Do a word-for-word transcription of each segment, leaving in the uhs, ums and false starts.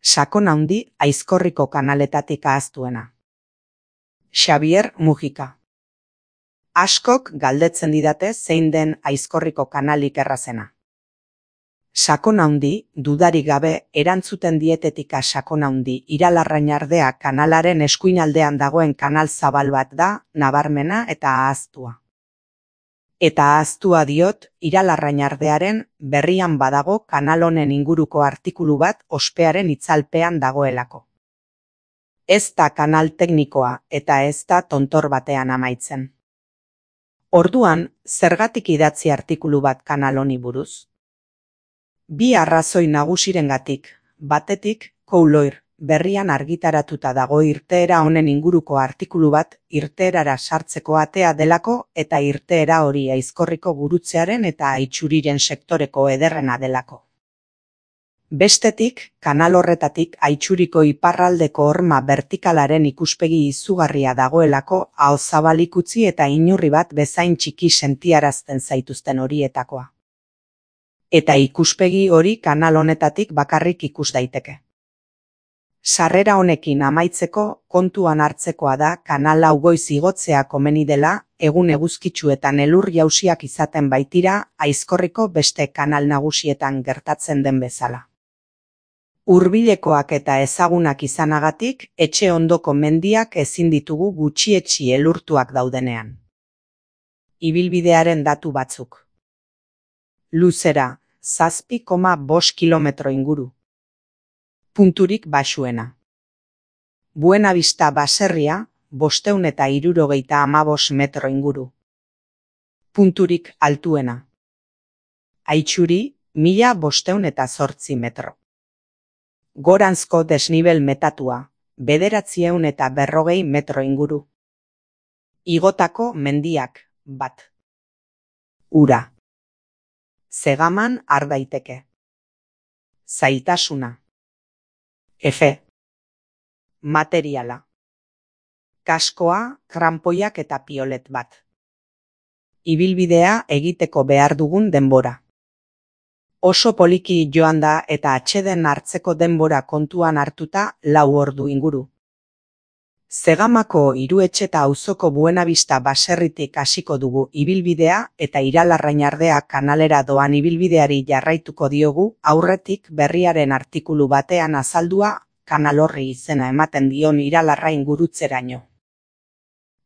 Sakon handi Aizkorriko kanaletatik ahaztuena. Xabier Mujika. Askok galdetzen didate zein den Aizkorriko kanalik errazena. Sakon handi, dudarik gabe, erantzuten dietetika sakon handi Iralarrañardea kanalaren eskuinaldean dagoen kanal zabal bat da, nabarmena eta ahaztua. Eta ahaztua diot, Iralarrañardearen berrian badago kanal honen inguruko artikulu bat ospearen itzalpean dagoelako. Ez da kanal teknikoa eta ez da tontor batean amaitzen. Orduan, zergatik idatzi artikulu bat kanal honi buruz? Bi arrazoi nagusirengatik, batetik, Kouloir, berrian argitaratuta dago irteera honen inguruko artikulu bat irteerara sartzeko atea delako eta irteera hori Aizkorriko gurutzearen eta Aitxuriren sektoreko ederrena delako. Bestetik, kanal horretatik Aitxuriko iparraldeko horma bertikalaren ikuspegi izugarria dagoelako aho zabalik utzi eta inurri bat bezain txiki sentiarazten zaituzten horietakoa. Eta ikuspegi hori kanal honetatik bakarrik ikus daiteke. Sarrera honekin amaitzeko kontuan hartzekoa da kanal hau goiz igotzea komeni dela, egun eguzkitsu eta elur jausiak izaten baitira Aizkorriko beste kanal nagusietan gertatzen den bezala. Hurbilekoak eta ezagunak izanagatik, etxe ondoko mendiak ezin ditugu gutxietsi elurtuak daudenean. Ibilbidearen datu batzuk. Luzera, zazpi koma bost kilometro inguru. Punturik baxuena. Buenavista baserria, bosteun eta hirurogeita hamabost metro inguru. Punturik altuena. Aitxuri, mila bosteun eta zortzi metro. Goranzko desnibel metatua, bederatzieun eta berrogei metro inguru. Igotako mendiak, bat. Ura. Zegaman har daiteke. Zailtasuna. Efe. Materiala. Kaskoa, kranpoiak eta piolet bat. Ibilbidea egiteko behar dugun denbora. Oso poliki joan da eta atseden hartzeko denbora kontuan hartuta lau ordu inguru. Zegamako Hiruetxeta auzoko Buenavista baserritik hasiko dugu ibilbidea eta Iralarrañardea kanalera doan ibilbideari jarraituko diogu aurretik berriaren artikulu batean azaldua kanal horri izena ematen dion Iralarrain gurutzeraino.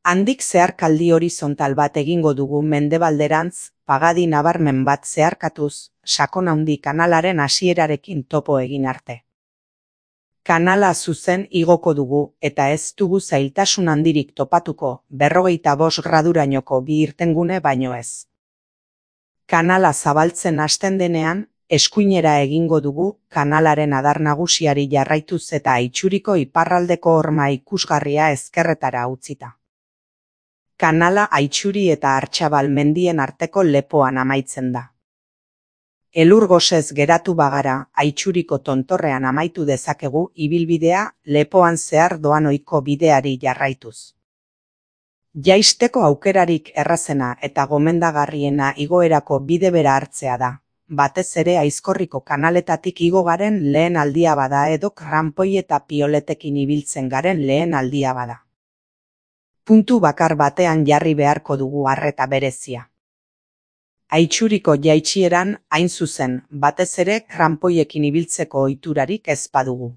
Handik zeharkaldi horizontal bat egingo dugu mendebalderantz, pagadi nabarmen bat zeharkatuz, Sakon handi kanalaren hasierarekin topo egin arte. Kanala zuzen igoko dugu eta ez dugu zailtasun handirik topatuko berrogeita bost gradurainoko bi irtengune baino ez. Kanala zabaltzen hasten denean, eskuinera egingo dugu kanalaren adar nagusiari jarraituz eta Aitxuriko iparraldeko horma ikusgarria ezkerretara utzita. Kanala Aitxuri eta Artxabal mendien arteko lepoan amaitzen da. Elur gosez geratu bagara, Aitxuriko tontorrean amaitu dezakegu ibilbidea lepoan zehar doan ohiko bideari jarraituz. Jaisteko aukerarik errazena eta gomendagarriena igoerako bide bera hartzea da, batez ere Aizkorriko kanaletatik igo garen lehen aldia bada edo kranpoi eta pioletekin ibiltzen garen lehen aldia bada. Puntu bakar batean jarri beharko dugu arreta berezia. Aitxuriko jaitsieran hain zuzen, batez ere kranpoiekin ibiltzeko ohiturarik ez badugu.